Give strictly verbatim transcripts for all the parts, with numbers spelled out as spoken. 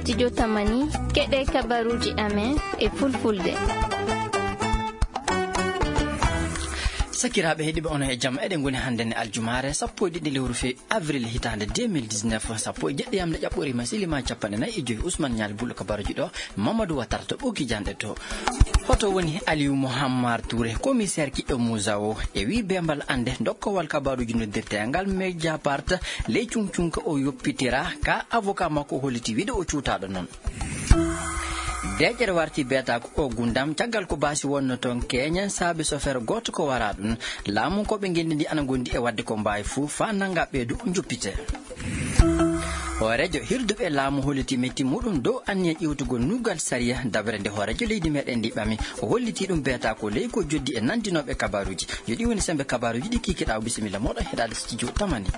Studio Tamani, keɗe kabaruuji amen e fulfulde. Sakiraaɓe heɗiiɓe, onon e jam. Eɗen ngoni hannde ne aljumaare sappo e ɗiɗi lewru fe-, avril hitaande deux mille dix-neuf, sappo e jeɗɗi yamde ƴaɓɓoriima, silimaa capanɗe nayi e joy. Ousmane Ñaali Bullo kabaruuji ɗo, Mamadou Watara to ɓoggi janɗe to. Hoto woni Aliou Mouhammar Touré, commissaire kiɗɗo Moussa o, e wi bembal annde dokkowal kabaruuji noddirteengal Mediapart, ley cuŋcuŋka o yoppitira, ka avocat makko holliti wiide o cuutaaɗo noon. Deeƴere warti beetaaku o gundam, caggal ko baasi wonno toon keeñen saabe sofeer gooto ko wara ɗum. Laamu ko ɓe ngenndi ndi ana ngondi e waɗde ko mbaawi fuu, faa nannga ɓeydu njoppite. Hooreejo hirduɓe laamu holliti metti muɗum dow anniya ƴiwtugol nuggal sariya dabre nde hooreejo leydi meɗen ndi ɓami. O holliti ɗum beetaaku ley ko joddi e nanndinooɓe kabaruuji. Yo ɗi woni sembe kabaruuji ɗi kikiɗaa. Bisimilla mooɗon heɗaade studio Tamani.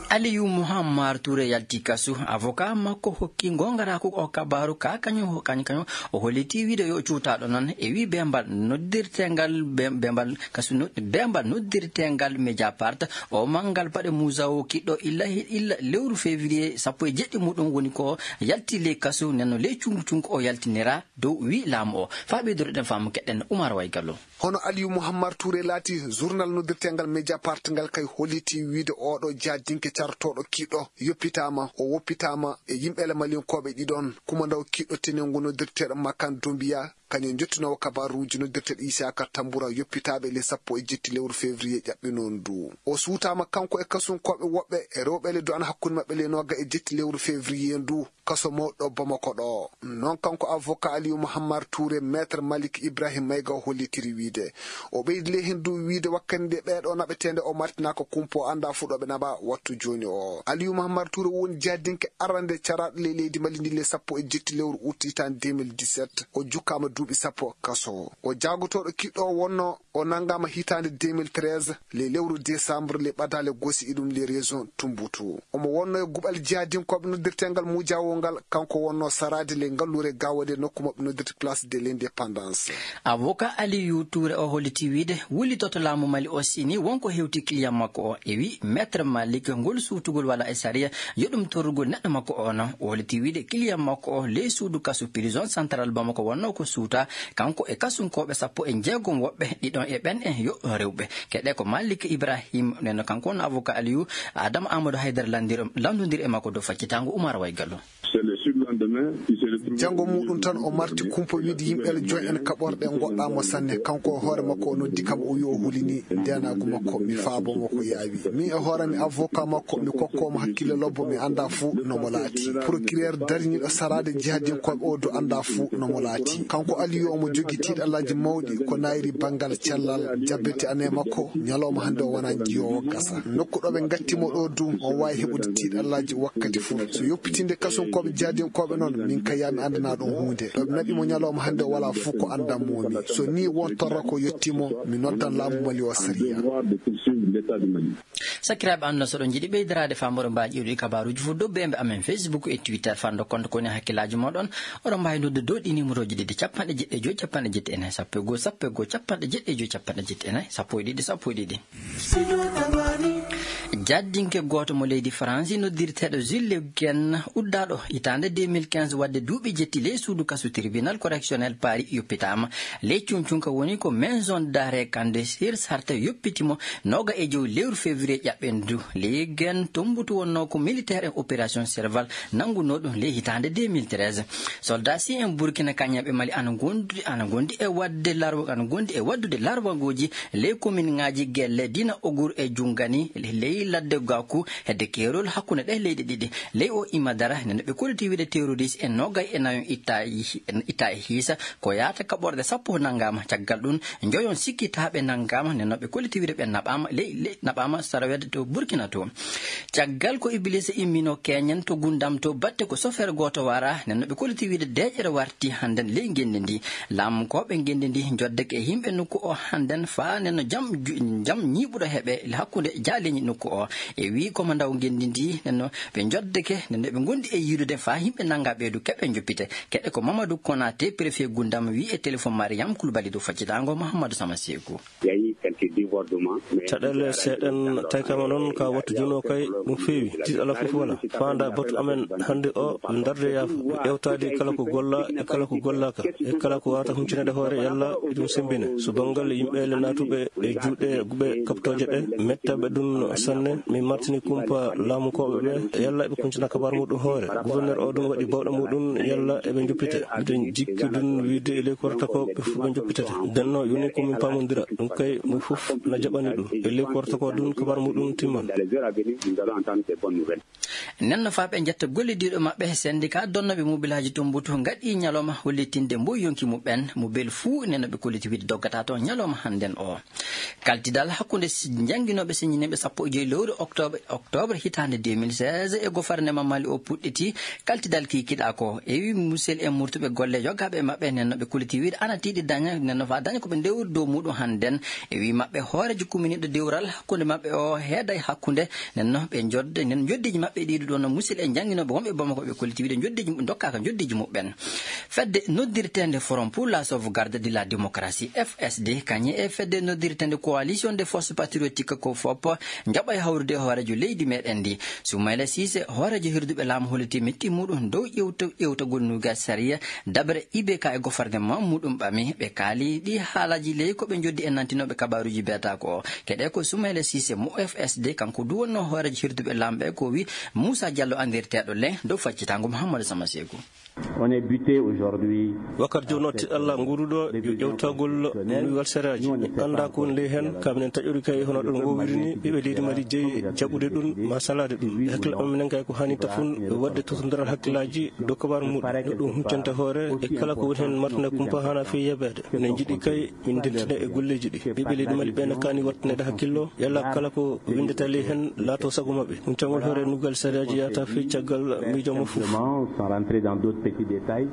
Aliou Mouhammar Touré yalti kasu. Avocat makko hokki ngongaraaku o kabaru ka kañum, kañum, kañum. O holliti wiide yo cuutaaɗo noon e wi bembal noddirteengal, bem-, bembal kasu no-, bembal noddirteengal Mediapart. O manngal baɗe Moussa o kiɗɗo illa, illa lewru février sappo e jeɗɗi muɗum woni ko yalti ley kasu, nenno ley cuŋku cuŋku o yaltinira dow wi laamu o. Faa ɓeydoreɗen faamu keɗen Oumar Way Gallo. Hono Aliou Mouhammar Touré laati, journal noddirteengal Mediapart ngal kay holliti wiide oɗo jaadinke cartooɗo kiɗɗo yoppitaama, o woppitaama e yimɓe le Malinkooɓe ɗiɗon, kumandaw kiɗɗo tenengu noddirteeɗo Makan Doumbia, kañum jottinoowo kabaruuji noddirteeɗo Isaka Tamboura yoppitaaɓe le sappo e jetti lewru février ƴaɓɓinoo ndu. O suutaama kanko e kasunkooɓe woɓɓe e rewɓe le du'ana hakkunde maɓɓe le nooga e jetti lewru février ndu. Kaso mawɗo Bamako ɗo. Noon kanko avocat Aliou Mouhammar Touré, Maître Malik Ibrahim Maïga o hollitiri wiide. O ɓeydi ley heen du wiide wakkati nde ɓeeɗo naɓeteende o martinaaka kumpo annda fuu ɗo ɓe naɓa wattu jooni o. Aliou Mouhammar Touré woni jaadinke arande caraaɗo ley leydi Mali ndi le sappo e jetti lewru ut hitaande deux mille dix-sept. O jukkaama duuɓi sappo kaso. O jaagotooɗo kiɗɗo o wonno o nanngaama hitaande deux mille treize, le lewru décembre, le ɓadaale gosi iɗum le région Tumbutu. Omo wonno e guɓal jihadinkooɓe noddirteengal Mujawol ngal, kanko wonno saraade le ngalluure Gawade nokku maɓɓe noddirte Place de l'Indépendance. Avocat Aliou Touré o holliti wiide wullitoto laamu Mali o sini wonko hewti client makko o. E wi Maître Malik, ngol suutugol wala e sariya, yo ɗum torrugol neɗɗo makko o no. O holliti wiide client makko o ley suudu kasu prison central Bamako wonno ko suuta, kanko e kasunkooɓe sappo e jeegom woɓɓe, ɗiɗon e ɓen en yo rewɓe. Keɗe ko Malik Ibrahim, nen kanko on avocat Aliou, Adama Amadou Haydara landir-, landondir e makko dow faccitaango Oumar Way Gallo. Janngo muɗum tan o marti kumpa wiide yimɓe le joy en kaɓorɗe ngoɗɗaama sanne. Kanko e hoore makko o noddi kam o wi o hulini ndenaagu makko, mi faabo mo ko yaawi. Min e hoore mi avocat makko, mi kokko mo hakkille lobbo, mi annda fuu no mo laati. Procureur dariniiɗo saraade jihadinkooɓe o du annda fuu no mo laati. Kanko Aliou omo jogii tiiɗallaaji mawɗi ko naayri banngal cellal jabbete ane makko. Ñalawma hannde o wonaa njiyoowo gasa. Nokku ɗo ɓe ngatti mo ɗo du, o waawi heɓude tiiɗallaaji wakkati fuu. So yoppitinde kasunkooɓe jihadinkooɓe noon, min kay yaa mi anndana ɗum huunde. Ɗo ɓe naɓi mo ñalawma hannde o walaa fuu ko anndan mo mi. So nii won torra ko yotti mo, mi noddan laamu Mali o sariya. Sakiraaɓe, annduno so ɗon njiɗi ɓeydiraade faamoro mbaa ƴeewde kabaruuji fof, dow bembe amen Facebook e Twitter, fando compte ko woni hakkillaaji mooɗon. Oɗon mbaawi noddude dow ɗi numéroji ɗiɗi, capanɗe jeɗɗi e joy, capanɗe jeɗɗi e nayi, sappo e goo, sappo e goo, capanɗe jeɗɗi e joy, capanɗe jeɗɗi e nayi, sappo e ɗiɗi, sappo e ɗiɗi. Jaddinke gooto mo leydi Faransi noddirteeɗo Jules Le Guen, uddaaɗo hitaande deux mille quinze, waɗde duuɓi jetti ley suudu kasu tribunal correctionnel Paris yoppitaama. Ley cuncunka woni ko Maison d'arrêt Kandé Sir Sartre yoppiti mo nooga e jow lewru février ƴaɓɓendu. Le Guen tombutu wonnoo ko militaire en opération Serval nanngunoo ɗum ley hitaande deux mille treize. Soldat si en Burkina kañum e Mali ana ngondi, ana ngondi e waɗde larwa, ana ngondi e waɗdude larwangooji ley kominŋaaji Gelle, Dina Ogur e Jungani ley ladde Gaku hedde keerol hakkunde ɗee leyɗe ɗiɗi. Ley o ima dara nde ɓe kolliti wiide terroriste en noogay e nayo itta, itta e hiisa ko yaata kaɓorɗe sappo nanngaama. Caggal ɗum, njoyon sikkitaaɓe nanngaama, nden no ɓe kolliti wiide ɓe naɓaama ley, ley, naɓaama sarawede to Burkina to. Caggal ko Iblisa immino keñen to Gundam to batte ko sofeer gooto wara, nden no ɓe kolliti wiide deeƴere warti hannden ley ngenndi ndi. Laamkooɓe ngenndi ndi njoddeke e yimɓe nokku o hannden faa nden no jam ju-, jam ñiiɓuɗo heɓe hakkunde jaaleeñi nokku o. E wii ko ma ndaw ngenndi ndi, nenno ɓe njoddeke, nenno ɓe ngondi e yiidude faa yimɓe nannga ɓeydu keɓe njoppite. Keɗe ko Mamadou Konaté, préfet Gundam, wii e téléphone Mariam Koulibaly dow faccitango Mouhamadou Sama Seeku. Caɗeele seeɗen taykama noon ka wattu jooni o kay ɗum feewi. Tiiɗ alaa fof wala. Faanda batu amen hannde o darde yaafo. Ƴeewtaade kala ko golla e kala ko gollaka. E kala ko wawata huncinaade hoore yalla ɗum sembine. So banngal yimɓe le naatuɓe e juuɗe guɓe kaɓtooje ɗe, mettaɓe ɗum sanne. Min martini kumpa laamukooɓe ɓe, yalla eɓe kuncina kabaar muɗum hoore. Gouverneur o ɗum waɗi bawɗe muɗum, yalla eɓe njoppite. Miɗen jikki ɗum wiide e ley ko warata ko ɓe fof ɓe njoppitete. Nden no yoni ko min paamondira. Ɗum kay mo fof na jaɓani ɗum. E ley ko warata ko ɗum kabaar muɗum timman. Nden no faa ɓe njetta gollidiiɗo maɓɓe, syndicat donnooɓe mobilaaji Tumbuktu ngaɗi ñalawma hollitinde mboy yonki muɓɓen, mo bel fuu nenoɓe kolliti wiide doggata toon ñalawma hannden o. Kaltidal hakkunde si-, jannginooɓe siññinɓe sappo e joy lewru octobre, octobre hitaande deux mille seize e gofarnema Mali o puɗɗiti. Kaltidal kiikiɗaa ko e wi musel e murtuɓe golle yoggaaɓe e maɓɓe nenoɓe kolliti wiide ana tiiɗi daña, nenno faa daña ko ɓe ndewri dow muɗum hannden. E wi maɓɓe hooreejo kuminiiɗo dewral hakkunde maɓɓe o heeday hakkunde. Nenno ɓe njodde, nen njoddiiji maɓɓe ɗiɗi ɗo no musidɓe jannginooɓe wonɓe Bamako ɓe kolliti wiide njoddiiji mu-, ndokkaaka njoddiiji muɓɓen. Fedde noddirteende Forum pour la sauvegarde de la démocratie, F S D, kañe e fedde noddirteende Coalition des forces patriotiques ko fop njaɓa e hawrude e hooreejo leydi meɗen ndi. Soumaïla Cissé, hooreejo hirduɓe laamu holliti metti muɗum dow ƴewta-, ƴewtagol nuuga sariya dabre I B K e gofarnema muɗum ɓami. Ɓe kaali ɗi haalaaji ley ko ɓe njoddi e nantinooɓe kabaaruuji beetaako o. Keɗe ko Soumaïla Cissé mo F S D, kanko du wonno hooreejo hirduɓe laamɓe ko wi Moussa Diallo anndirteeɗo le dow faccitango Mouhamadou Sama Seeku. On est buté aujourd'hui. Wakkati jooni o tiɗalla nguuruɗo yo ƴewtagol nuygal seraaji. Annda ko woni ley heen, ka minen taƴori kay hono ɗon ngowiri ni, ɓiɓɓe leydi Mali jeyi jaɓude ɗum, ma salaade ɗum. E hakkille am minen kay ko haani tafun, waɗde totondiral hakkillaaji dow kabaar muɗum, no ɗum huccanta hoore, e kala ko woni heen martina kumpa haana fii yebeede. Minen njiɗi kay min ndentina e golleeji ɗi. Ɓiɓɓe leydi Mali ɓe na kaani waɗtaneede hakkillo, yalla kala ko winndata ley heen laato sago maɓɓe. Ɗum caggal hoore nuggal sariyaaji yahata fii caggal miijo mo fof. Simplement, sans rentrer dans d'autres petits détails.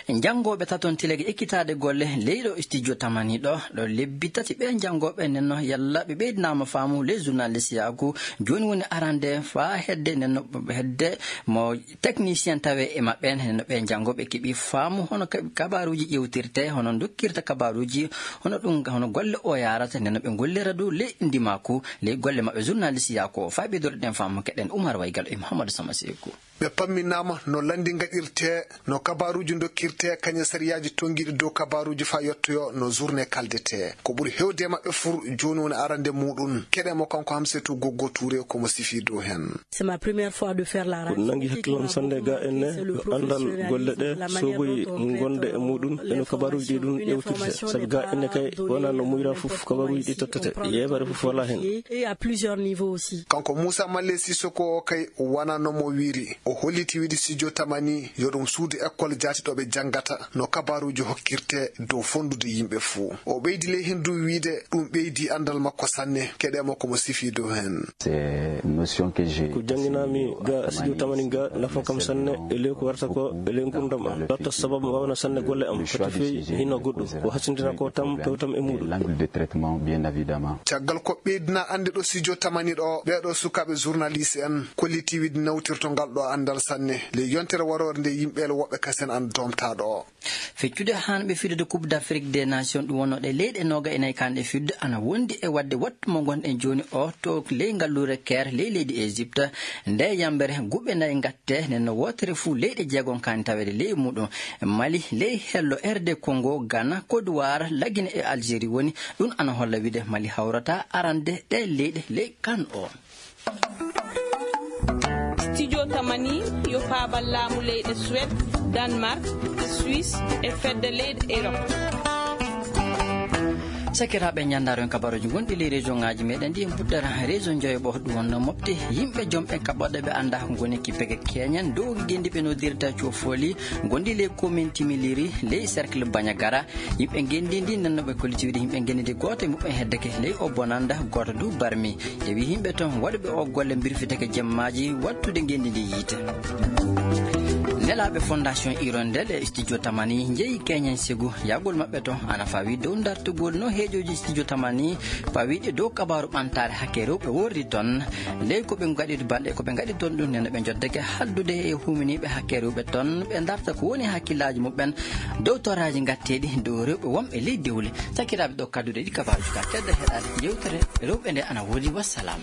Janngooɓe taton tilege ekkitaade golle leyɗo studio tamani ɗo, ɗo lebbi tati ɓe janngooɓe nenno yalla ɓe ɓeydinaama faamu ley journaliste yaaku. Jooni woni arande faa hedde nenno hedde mo technicien tawe e maɓɓe, no ɓe janngooɓe keɓi faamu hono ka-, kabaaruuji ƴewtirte, hono dokkirta kabaaruuji, hono ɗum, hono golle o yaarata, nden no ɓe ngollira dow ley ndimaaku, ley golle maɓɓe journaliste yaa ko faa ɓe doroɗen faamu keɗen Umar Waygal e Mouhamadou Sama Seeku. Ɓe pamminaama no lanndi ngaɗirte, no kabaaruuji dokkirte, kañe sariyaaji tonngiiɗi dow kabaaruuji faa yottoyo no journée kaldete. Ko ɓuri heewde e maɓɓe fur jooni woni arande muuɗum. Keɗe mo kanko Hamsetu Goggo Touré ko mo sifii dow heen. C'est ma première fois de faire la radio. Ko nangi hakkillo am sanne ga enne yo anndal golle ɗe soboyi ngonde e muɗum e no kabaruji ɗi ɗum ƴewtirte. Sabi ga enne kay wona no muyra fof kabaruji ɗi tottete. Yeɓere fof wala heen. Et à plusieurs niveaux aussi. Kanko Moussa Malle Sissoko o kay wona no mo wiri. O holliti wiide studio tamani yo ɗum suudu école jaati ɗo ɓe janngata no kabaruji hokkirte dow fonndude yimɓe fuu. O ɓeydi ley heen du wiide ɗum ɓeydi anndal makko sanne. Keɗe mo ko mo sifii dow heen. C'est une notion que j'ai. Ko jannginami ga studio tamani ga nafan kam sanne e ley ko warata ko e ley ngurdam am. Latta sababu mbawna sanne golle am. Fati fey hino goɗɗum. Ko hasindina ko tam, pew tam e muɗum. L'angle de traitement, bien évidemment. Caggal ko ɓeydina annde ɗo studio tamani ɗo, ɓeeɗo sukaaɓe journaliste en kolliti wiide nawtirto ngal ɗo anndal sanne. Ley yontere waroore nde yimɓe woɓɓe kasen an domta ɗo. Feccude haa ɓe fiɗude Coupe d'Afrique des Nations, ɗum wonnoo ɗe leyɗe nooga e nayi kaanɗe fiɗude, ana wondi e waɗde wattu mo ngonɗen jooni o to ley ngalluure Caire, ley leydi Égypte. Nde yambere guɓe nayi ngatte, nden no wootere fuu leyɗe jeegom kaani taweede ley muɗum. Mali, ley hello, R D Congo, Ghana, Côte d'Ivoire, Lagine e Algérie woni. Ɗum ana holla wiide Mali hawrata arande ɗe leyɗe ley kan o. Studio Tamani yo faabal laamu leyɗe Suède, Danemark, Suisse e fedde leyɗe Europe. Sakiraaɓe, ñanndaaro en kabaruuji gonɗi ley région ŋaaji meɗen ɗi, en puɗɗata région Joyoɓo, ɗum wonno mofte yimɓe jom ɓe kaɓɓoɗe ɓe annda ngoni kippege keñen dow ngenndi ɓe noddirta cofoli, gonɗi ley commune Timiliri, ley cercle Bandiagara. Yimɓe ngenndi ndi nanno ɓe kolliti wiide yimɓe ngenndi ndi gooto e muɓɓen heddeke ley o bonanda, gooto du barmi. Tawi yimɓe toon waɗuɓe o golle mbirfiteke jemmaaji wattude ngenndi ndi yiite. Nelaaɓe Fondation Hirondelle e studio Tamani njeyi Keñen Segu. Yahgol maɓɓe to ana fawi dow dartugol no heejoji studio Tamani pawiɗe dow kabaaru ɓantaare hakke rewɓe worri toon. Ley ko ɓe ngaɗi balɗe, ko ɓe ngaɗi toon ɗum, nena ɓe njoddake haldude e huminiiɓe hakke rewɓe toon, ɓe darta ko woni hakkillaaji muɓɓen dow toraaji ngatteeɗi dow rewɓe wonɓe ley dewle. Sakiraaɓe, ɗo kadduɗe ɗi kabaaruji ka tedda heɗaade yewtere rewɓe nde ana woodi. Wassalam.